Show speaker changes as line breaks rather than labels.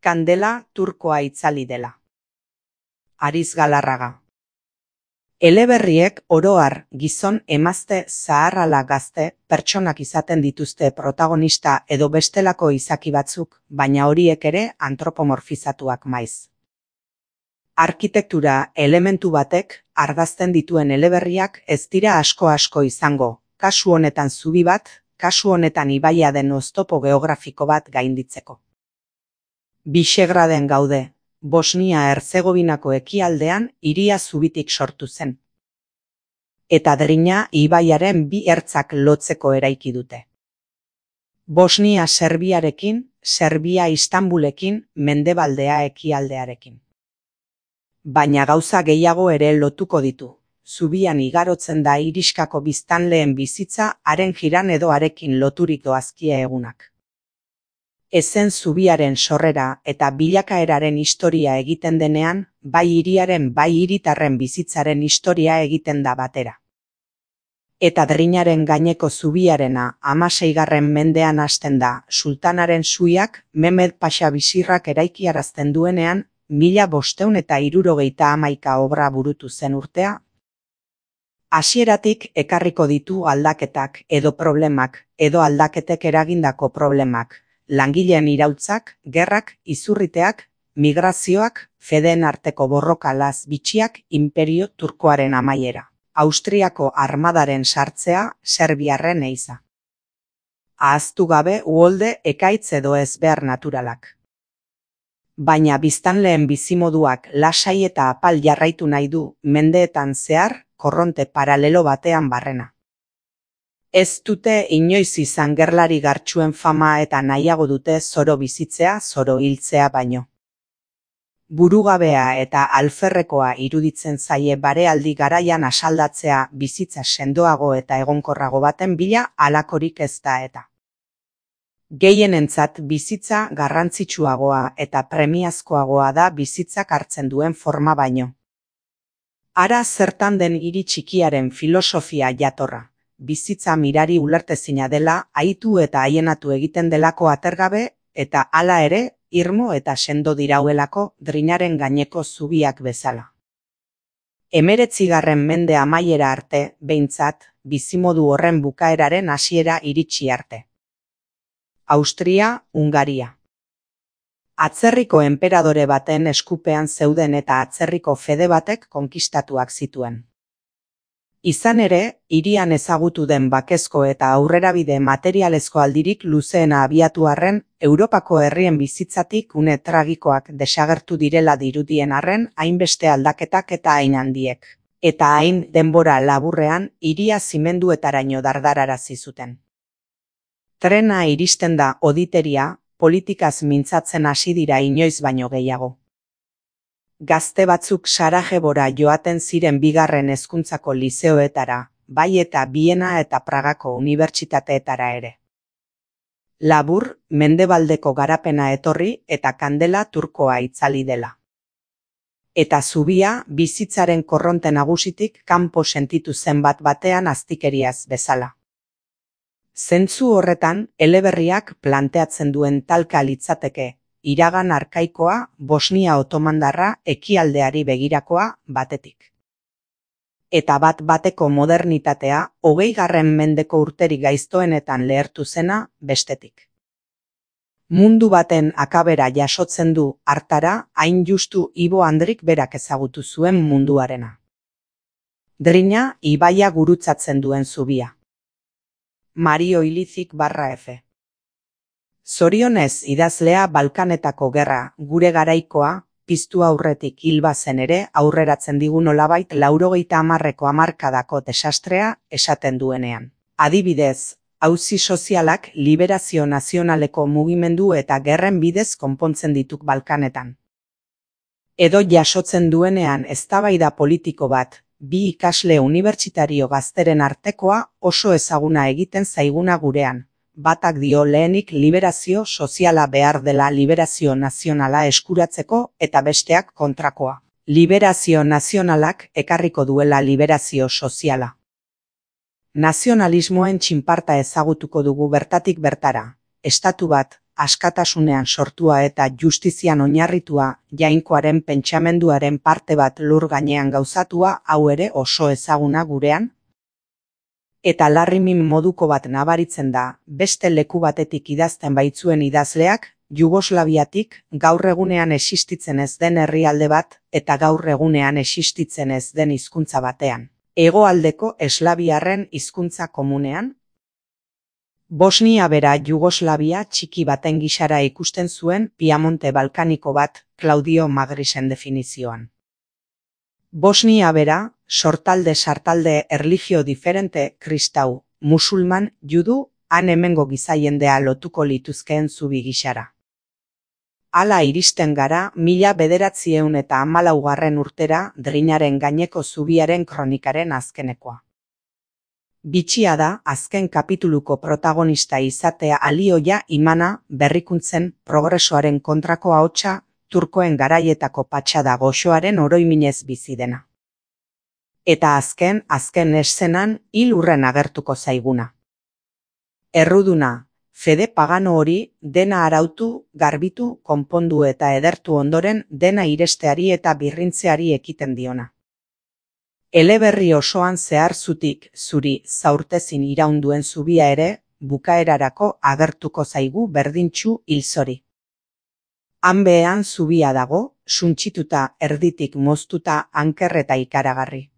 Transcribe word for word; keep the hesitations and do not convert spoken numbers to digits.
Kandela turkoa itzali dela. Ariz Galarraga. Eleberriek oro har gizon, emazte, zahar ala gazte pertsonak izaten dituzte protagonista edo bestelako izaki batzuk, baina horiek ere antropomorfizatuak maiz. Arkitektura elementu batek argazten dituen eleberriak ez dira asko-asko izango, kasu honetan zubi bat, kasu honetan ibaia den oztopo geografiko bat gainditzeko. Bisegraden gaude. Bosnia-Herzegovinako ekialdean hiria zubitik sortu zen. Eta Drina ibaiaren bi ertzak lotzeko eraiki dute. Bosnia Serbiarekin, Serbia Istanbulekin, mendebaldea ekialdearekin. Baina gauza gehiago ere lotuko ditu. Zubian igarotzen da iriskako biztanleen bizitza, haren jiran edo harekin loturik doazkia egunak. Ezen zubiaren sorrera eta bilakaeraren historia egiten denean, bai hiriaren bai hiritarren bizitzaren historia egiten da batera. Eta Drinaren gaineko zubiarena hamaseigarren mendean hasten da, sultanaren suiak Mehmed Paxa Bizirrak eraikiarazten duenean, mila bostehun eta hirurogeita hamaika obra burutu zen urtea. Hasieratik ekarriko ditu aldaketak edo problemak, edo aldaketek eragindako problemak. Langileen iraultzak, gerrak, izurriteak, migrazioak, fedeen arteko borroka laz bitxiak, imperio turkoaren amaiera. Austriako armadaren sartzea, serbiarren eiza. Ahaztu gabe uholde, ekaitz edo ezbehar naturalak. Baina biztanleen bizimoduak lasai eta apal jarraitu nahi du, mendeetan zehar, korronte paralelo batean barrena. Ez dute inoiz izan gerlari gartxuen fama eta nahiago dute zoro bizitzea, zoro hiltzea baino. Burugabea eta alferrekoa iruditzen zaie barealdi garaian asaldatzea bizitza sendoago eta egonkorrago baten bila halakorik ez da eta. Gehienentzat bizitza garrantzitsuagoa eta premiazkoagoa da bizitzak hartzen duen forma baino. Hara zertan den hiri txikiaren filosofia jatorra. Bizitza mirari ulertezina dela, aitu eta haienatu egiten delako atergabe, eta hala ere, irmo eta sendo dirauelako Drinaren gaineko zubiak bezala. Hemeretzigarren mende amaiera arte, behintzat, bizimodu horren bukaeraren hasiera iritsi arte. Austria, Hungaria. Atzerriko enperadore baten eskupean zeuden eta atzerriko fede batek konkistatuak zituen. Izan ere, hirian ezagutu den bakezko eta aurrerabide materialezko aldirik luzeena abiatu arren, Europako herrien bizitzatik une tragikoak desagertu direla dirudien arren, hainbeste aldaketak eta hain handiek. Eta hain denbora laburrean, hiria zimenduetaraino dardararazi zuten. Trena iristen da oditeria, politikaz mintzatzen hasi dira inoiz baino gehiago. Gazte batzuk Sarajebora joaten ziren bigarren hezkuntzako lizeoetara, bai eta Biena eta Pragako unibertsitateetara ere. Labur, mendebaldeko garapena etorri eta kandela turkoa itzali dela. Eta zubia bizitzaren korronte nagusitik kanpo sentitu zen bat batean aztikeriaz bezala. Zentzu horretan, eleberriak planteatzen duen talka litzateke, iragan arkaikoa, Bosnia otomandarra, ekialdeari begirakoa, batetik. Eta bat bateko modernitatea, hogeigarren mendeko urterik gaiztoenetan lehertu zena, bestetik. Mundu baten akabera jasotzen du hartara, hain justu Ibo Andrik berak ezagutu zuen munduarena. Drina, ibaia gurutzatzen duen zubia. Mario Ilizik barra F. Zorionez idazlea Balkanetako gerra, gure garaikoa, piztu aurretik hil bazen ere, aurreratzen digu nolabait laurogeita hamarreko hamarkadako desastrea esaten duenean. Adibidez, auzi sozialak liberazio nazionaleko mugimendu eta gerren bidez konpontzen dituk Balkanetan. Edo jasotzen duenean eztabaida politiko bat, bi ikasle unibertsitario gazteren artekoa oso ezaguna egiten zaiguna gurean. Batak dio lehenik liberazio soziala behar dela liberazio nazionala eskuratzeko eta besteak kontrakoa. Liberazio nazionalak ekarriko duela liberazio soziala. Nazionalismoen txinparta ezagutuko dugu bertatik bertara. Estatu bat, askatasunean sortua eta justizian oinarritua, jainkoaren pentsamenduaren parte bat lur gainean gauzatua, hau ere oso ezaguna gurean. Eta larrimin moduko bat nabaritzen da, beste leku batetik idazten baitzuen idazleak, Jugoslaviatik gaur egunean existitzen ez den herrialde bat eta gaur egunean existitzen ez den hizkuntza batean. Hegoaldeko eslaviarren hizkuntza komunean. Bosnia bera Jugoslavia txiki baten gisara ikusten zuen Piamonte balkaniko bat Claudio Magrisen definizioan. Bosnia bera, sortalde sartalde erlijio diferente, kristau, musulman, judu, han hemengo gizaiendea lotuko lituzkeen zubi gisara. Hala iristen gara mila bederatzieun eta hamalaugarren urtera Drinaren gaineko zubiaren kronikaren azkenekoa. Bitxia da azken kapituluko protagonista izatea alioia imana berrikuntzen progresoaren kontrako ahotsa turkoen garaietako patxada goxoaren oroiminez bizi dena. Eta azken, azken eszenan hil hurren agertuko zaiguna. Erruduna, fede pagano hori dena arautu, garbitu, konpondu eta edertu ondoren dena iresteari eta birrintzeari ekiten diona. Eleberri osoan zehar zutik zuri zaurtezin iraunduen zubia ere, bukaerarako agertuko zaigu berdintxu hilzori. Han behean zubia dago, suntsituta erditik moztuta anker eta ikaragarri.